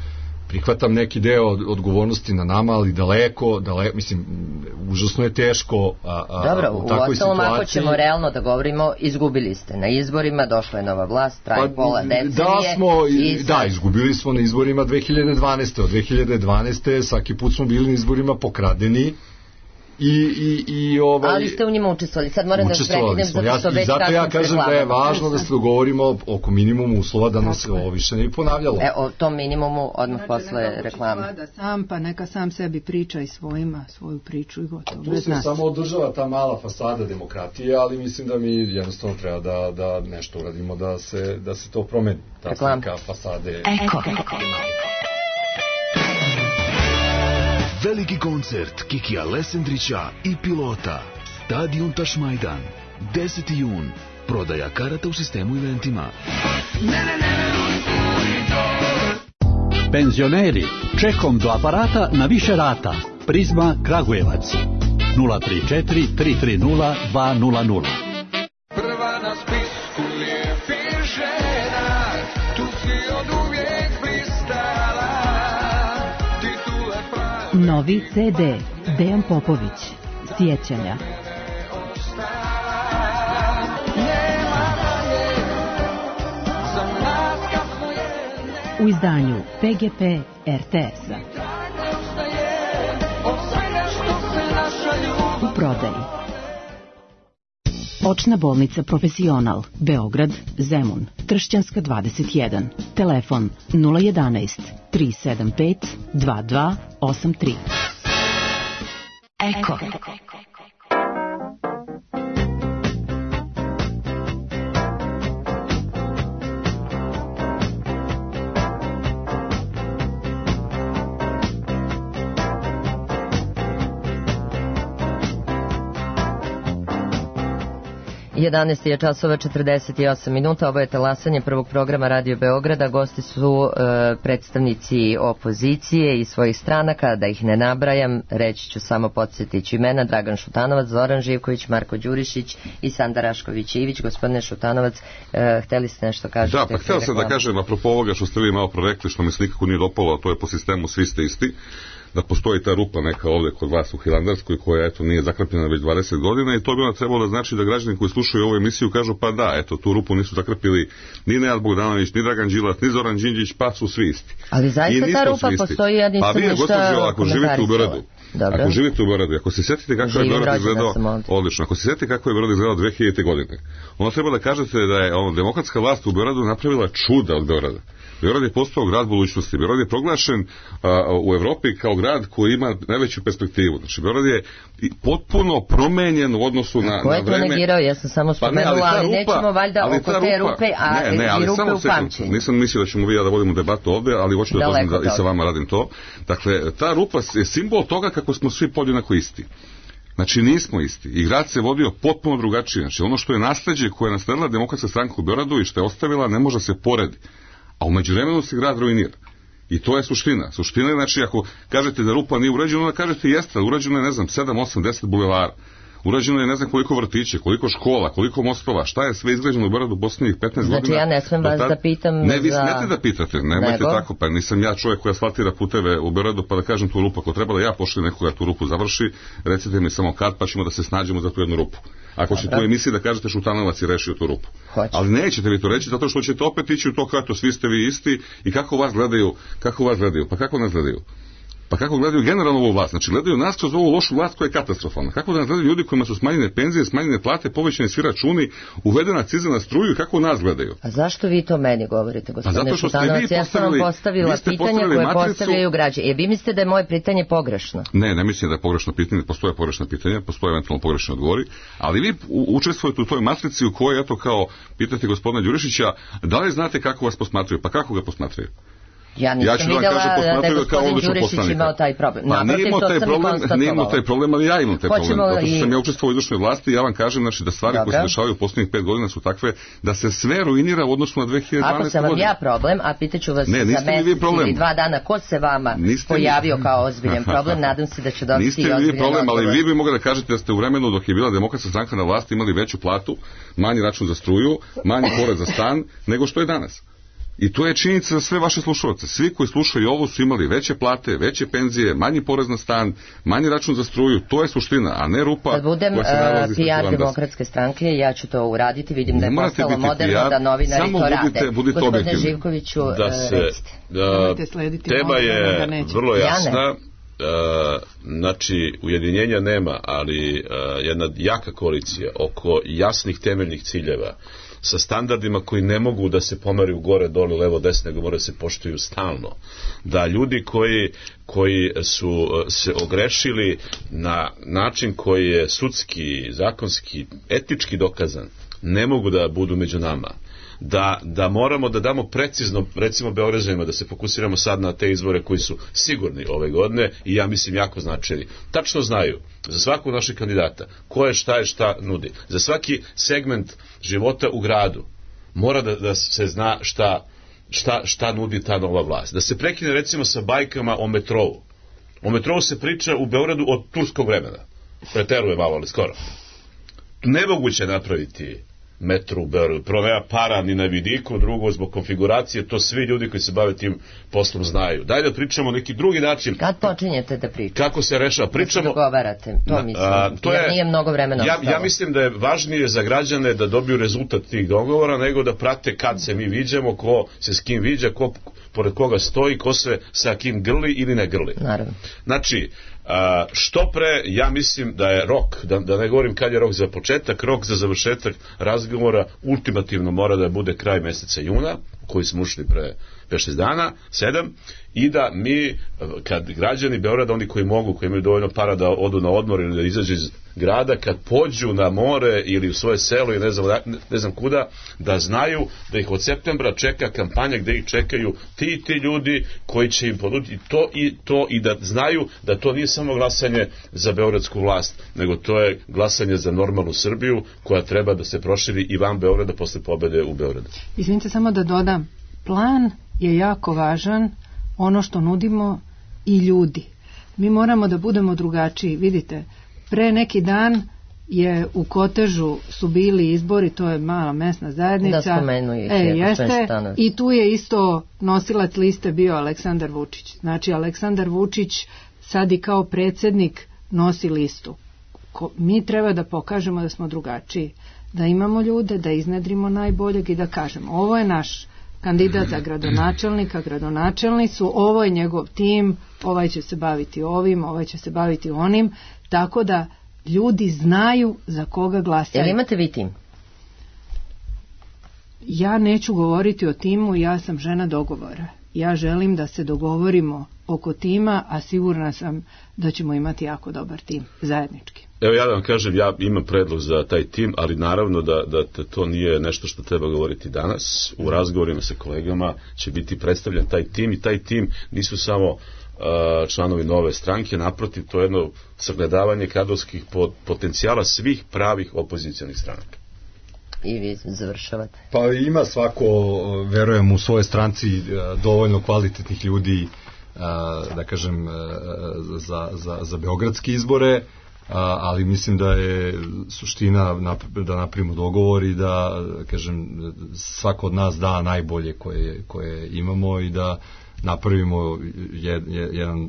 prihvatam neki deo odgovornosti na nama, ali daleko, mislim, užasno je teško dobro, u takvoj situaciji. Ako ćemo realno da govorimo, izgubili ste na izborima, došla je nova vlast, traje pola decenije. Da, izgubili smo na izborima 2012. Od 2012. svaki put smo bili na izborima pokradeni. Ali ste u njima učestvovali. Sad moram da prekidem zato što već zato ja kažem da je važno da se dogovorimo oko minimumu uslova da nas ovo više ne bi ponavljalo. O tom minimumu odmah posle reklame. Pa neka sam sebi priča i svojima svoju priču i gotovo. Tu se samo održava ta mala fasada demokratije, ali mislim da mi jednostavno treba da nešto uradimo da se to promeni. Ta slika fasade. Veliki koncert Kikija Lesendrića i Pilota. Stadion Tašmajdan. 10. jun. Prodaja karata u sistemu eventima. Penzioneri, čekom do aparata na više rata. Prizma Kragujevac. 034 330 200. Prva na spisku lijepih žena, tu si od uvijek blistala. Novi CD Dejan Popović. Sjećanja. U izdanju PGP RTS-a. U prodaji. Očna bolnica Profesional, Beograd, Zemun, Tršćanska 21. Telefon 011 375 2283. Eko. 11 je časova 48 minuta, ovo je talasanje prvog programa Radio Beograda, gosti su predstavnici opozicije i svojih stranaka, da ih ne nabrajam, reći ću samo, podsjetiću imena: Dragan Šutanovac, Zoran Živković, Marko Đurišić i Sanda Rašković-Ivić. Gospodine Šutanovac, hteli ste nešto kažete? Da, pa htio sam da kažem, apropo ovoga što ste vi malo prorekli, što mi se nikako nije dopalo, a to je po sistemu svi ste isti, da postoji ta rupa neka ovdje kod vas u Hilandarskoj koja eto nije zakrpljena već 20 godina i to bi onda trebalo da znači da građani koji slušaju ovu emisiju kažu pa da, eto tu rupu nisu zakrpili ni Nenad Bogdanović, ni Dragan Đilas, ni Zoran Đinđić, pa su svi isti. Ali zaista ta rupa postoji, ja nisam ništa komentarisala. Ako živite u Beogradu, ako živite u Beogradu, ako se sjetite kako je Beograd izgledao, odlično, ako se sjetite kako je Beograd izgledao 2000. godine, onda treba da kažete da je demokratska vlast u Beogradu napravila čuda od Beograda. Beograd je postao grad budućnosti. Beograd je proglašen u Evropi kao grad koji ima najveću perspektivu. Znači, Beograd je potpuno promenjen u odnosu na vreme. Ko je to negirao? Ja sam samo spomenula, ali nećemo valjda oko te rupe, i rupe u pamćenju. Nisam mislio da ćemo vi da vodimo debatu ovdje, ali hoću da kažem da i sa vama radim to. Dakle, ta rupa je simbol toga kako smo svi podjednako isti. Znači, nismo isti. I grad se vodio potpuno drugačije. Znači, ono što je nasleđe koje je nasledila Demokratska stranka u Beogradu i što je ostavila, ne može se poredi. A u međuvremenu se grad ruinira. I to je suština. Suština je, znači, ako kažete da rupa nije urađena, onda kažete jeste, urađeno je, ne znam, 7, 8, 10 bulevara. Urađeno je ne znam koliko vrtića, koliko škola, koliko mostova, šta je sve izgrađeno u Beogradu u posljednjih 15 godina. Znači ja ne smem vas da pitam ne, vi smete da pitate, nemojte tako, pa nisam ja čovjek koji asfaltira puteve u Beogradu pa da kažem tu rupu, ako treba da ja pošaljem nekoga tu rupu završi, recite mi samo kad, pa ćemo da se snađemo za tu jednu rupu. Ako ćete u emisiji da kažete Šutanovac je rešio tu rupu. Ali nećete vi to reći, zato što ćete opet ići u to kako svi ste vi isti i kako vas gledaju, pa kako nas gledaju? Pa kako gledaju generalno ovu vlast? Znači, gledaju nas kroz ovu lošu vlast koja je katastrofalna. Kako da nas gledaju ljudi kojima su smanjene penzije, smanjene plate, povećani svi računi, uvedena akciza na struju i kako nas gledaju? A zašto vi to meni govorite, gospodine Šutanovac? Ja sam vam postavila pitanje koje postavljaju građani. Vi mislite da je moje pitanje pogrešno? Ne mislim da je pogrešno pitanje, postoje pogrešna pitanja, postoje eventualno pogrešni odgovori, ali vi učestvujete u toj matrici u kojoj, eto, kao pitate gospodina Đurišića, da li znate kako vas posmatraju? Pa kako ga posmatraju? Ja nisam vidjela da je gospodin Đurišić imao taj problem. Naprotiv, to sam i konstatovala. Nije imao taj problem, ali ja imam taj problem. Zato što sam ja učestvovao u izvršnoj vlasti i ja vam kažem, znači, da stvari koje se dešavaju u posljednjih 5 godina su takve da se sve ruinira u odnosu na 2012. godinu. Ako sam vam ja problem, a pitaću vas za mesec ili 2 dana, ko se vama pojavio kao ozbiljan problem, nadam se da će dobiti i ozbiljan odgovor. Niste vi problem, ali vi bi mogli da kažete da ste u vremenu dok je bila Demokratska stranka na vlasti imali veću platu, manji račun za struju, manji porez za stan, nego što je danas. I to je činjenica za sve vaše slušalce. Svi koji slušaju ovo su imali veće plate, veće penzije, manji porez na stan, manji račun za struju. To je suština, a ne rupa. Kad budem PR Demokratske stranke, ja ću to uraditi. Vidim da je postalo moderno da novinari to rade. Gospodine Živkoviću, recite. Tema je vrlo jasna. Znači, ujedinjenja nema, ali jedna jaka koalicija oko jasnih temeljnih ciljeva sa standardima koji ne mogu da se pomeraju gore, dole, levo, desno, nego moraju da se poštuju stalno. Da ljudi koji su se ogrešili na način koji je sudski, zakonski, etički dokazan, ne mogu da budu među nama. Da moramo da damo precizno, recimo Beograđanima, da se fokusiramo sad na te izbore koji su sigurni ove godine i ja mislim jako značajni. Tačno znaju za svakog našeg kandidata ko je šta nudi. Za svaki segment života u gradu mora da se zna šta nudi ta nova vlast. Da se prekine recimo sa bajkama o metrovu. O metrovu se priča u Beogradu od turskog vremena. Preteruje malo, ali skoro. Nemoguće napraviti metro u Beogradu. Prvo, nema para ni na vidiku, drugo, zbog konfiguracije, to svi ljudi koji se bave tim poslom znaju. Daj da pričamo neki drugi način. Kad počinjete da pričate? Kako se rešava? Pričamo... Da se dogovarate, to mislim. Jer nije mnogo vremena ostalo. Ja mislim da je važnije za građane da dobiju rezultat tih dogovora, nego da prate kad se mi viđamo, ko se s kim viđa, ko pored koga stoji, ko se sa kim grli ili ne grli. Naravno. Znači, što pre, ja mislim da je rok, da ne govorim kad je rok za početak, rok za završetak razgovora ultimativno mora da bude kraj meseca juna, koji smo ušli pre 5-6 dana, 7, i da mi, kad građani Beograda, oni koji mogu, koji imaju dovoljno para da odu na odmor ili da izađu iz grada, kad pođu na more ili u svoje selo i ne znam kuda, da znaju da ih od septembra čeka kampanja gde ih čekaju ti ljudi koji će im ponuditi to i da znaju da to nije samo glasanje za beogradsku vlast, nego to je glasanje za normalnu Srbiju koja treba da se proširi i van Beograda posle pobede u Beogradu. Izvinite, samo da dodam, plan je jako važan, ono što nudimo i ljudi. Mi moramo da budemo drugačiji. Vidite, pre neki dan je u Kotežu su bili izbori, to je mala mesna zajednica. Da, spomenu ih jeste, i tu je isto nosilac liste bio Aleksandar Vučić. Znači, Aleksandar Vučić sad i kao predsjednik nosi listu. Mi treba da pokažemo da smo drugačiji, da imamo ljude, da iznedrimo najboljeg i da kažemo, ovo je naš kandidat za gradonačelnika, gradonačelni su, ovo je njegov tim, ovaj će se baviti ovim, ovaj će se baviti onim, tako da ljudi znaju za koga glasaju. Jel imate vi tim? Ja neću govoriti o timu, ja sam žena dogovora. Ja želim da se dogovorimo oko tima, a sigurna sam da ćemo imati jako dobar tim, zajednički. Evo ja da vam kažem, ja imam predlog za taj tim, ali naravno da to nije nešto što treba govoriti danas. U razgovorima sa kolegama će biti predstavljen taj tim i taj tim nisu samo članovi Nove stranke, naprotiv, to je jedno sagledavanje kadrovskih potencijala svih pravih opozicijalnih stranaka. I vi završavate. Pa ima svako, verujem, u svojoj stranci dovoljno kvalitetnih ljudi, da kažem, za beogradske izbore, ali mislim da je suština da napravimo dogovor i da, kažem, svako od nas da najbolje koje imamo i da napravimo jedan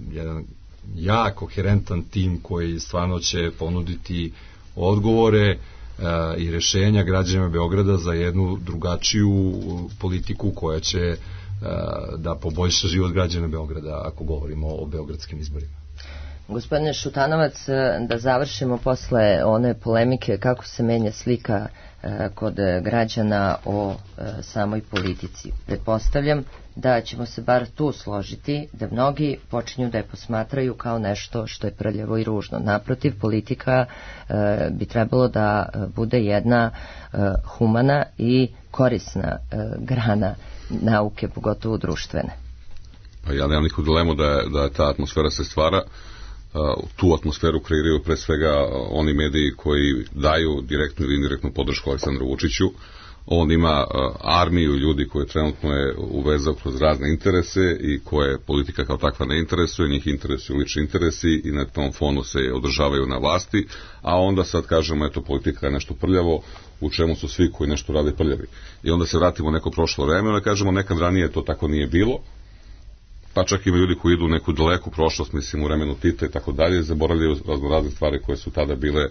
jak, koherentan tim koji stvarno će ponuditi odgovore i rešenja građanima Beograda za jednu drugačiju politiku koja će da poboljša život građana Beograda, ako govorimo o beogradskim izborima. Gospodine Šutanovac, da završimo posle one polemike kako se menja slika kod građana o samoj politici. Pretpostavljam da ćemo se bar tu složiti da mnogi počinju da je posmatraju kao nešto što je prljavo i ružno. Naprotiv, politika bi trebalo da bude jedna humana i korisna grana nauke, pogotovo društvene. Pa ja nemam nikakvu dilemu da ta atmosfera se stvara. Tu atmosferu kreiraju pre svega oni mediji koji daju direktnu ili indirektnu podršku Aleksandru Vučiću. On ima armiju ljudi koje trenutno je uvezao kroz razne interese i koje politika kao takva ne interesuje, njih interesuju lični interesi i na tom fonu se održavaju na vlasti, a onda sad kažemo eto politika je nešto prljavo, u čemu su svi koji nešto rade prljavi. I onda se vratimo u neko prošlo vreme, onda kažemo nekad ranije to tako nije bilo, pa čak ima ljudi koji idu u neku daleku prošlost, mislim u vremenu Tita i tako dalje, zaboravljaju razne stvari koje su tada bile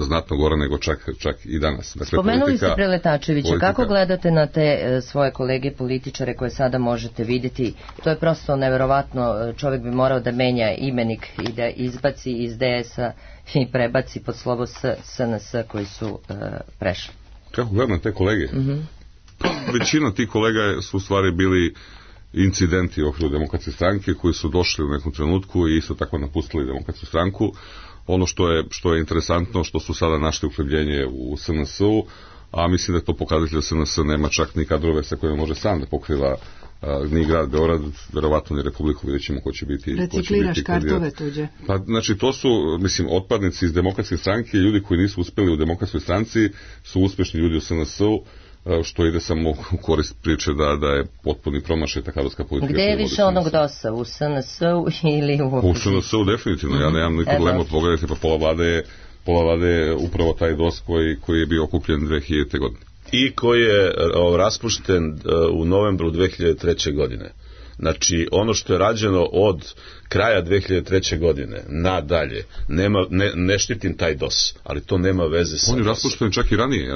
znatno gore nego čak i danas. Dakle, spomenuli ste Preletačevića, kako gledate na te svoje kolege političare koje sada možete vidjeti? To je prosto neverovatno, čovjek bi morao da menja imenik i da izbaci iz DS-a i prebaci pod slovo SNS koji su prešli. Kako gledam te kolege? Većina tih kolega su u stvari bili incidenti u okviru Demokratske stranke koji su došli u nekom trenutku i isto tako napustili Demokratsku stranku. Ono što je interesantno, što su sada našli uhlebljenje u SNS-u, a mislim da je to pokazatelj da SNS nema čak ni kadrove sa kojima može sam da pokriva ni grad Beograd, verovatno ni Republiku, vidjet ćemo ko će biti. Recikliraš kartove tuđe. Pa, znači, to su, mislim, otpadnici iz Demokratske stranke, ljudi koji nisu uspeli u Demokratskoj stranci, su uspešni ljudi u SNS-u, što ide samo u korist priče da je potpuni promašaj ta kadrovska politika. Gde je više onog DOS-a, u SNS-u ili u opoziciji? U SNS-u definitivno, ja nemam nikog dilemu, pogledajte, pa pola vlade je upravo taj DOS koji je bio okupljen 2000. godine. I koji je raspušten u novembru 2003. godine. Znači, ono što je rađeno od kraja 2003. godine nadalje, ne štitim taj DOS, ali to nema veze sa... On je raspušten čak i ranije.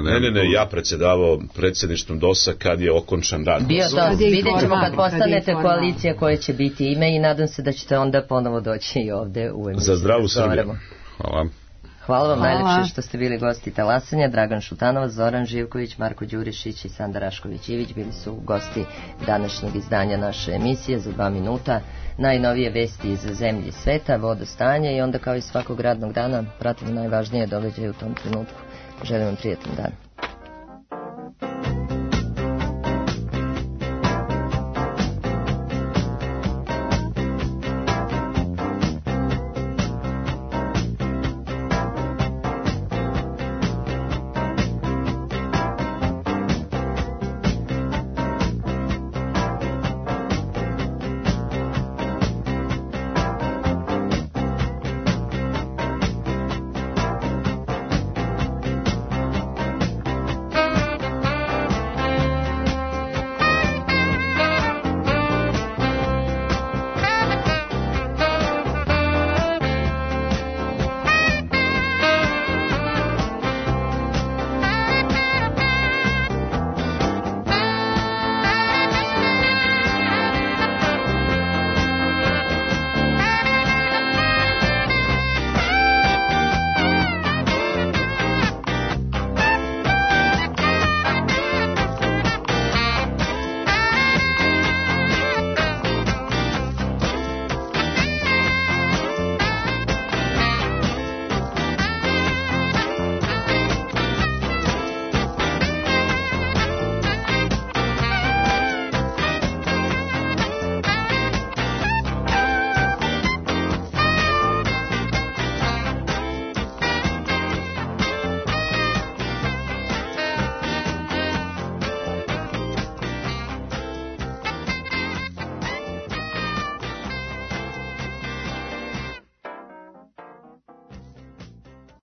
Ja predsjedavao predsjedništvom DOS-a kad je okončan rad. Bio DOS, vidjet ćemo kad postanete koalicija koja će biti ime i nadam se da ćete onda ponovo doći i ovde u emisiju. Za zdravu Srbiju. Hvala. Hvala vam Hvala. najlepše što ste bili gosti talasanja. Dragan Šutanovac, Zoran Živković, Marko Đurišić i Sanda Rašković-Ivić bili su gosti današnjeg izdanja naše emisije za 2 minuta. Najnovije vesti iz zemlje i sveta, vodostanje i onda kao i svakog radnog dana pratimo najvažnije događaje u tom trenutku. Želim vam prijetan dan.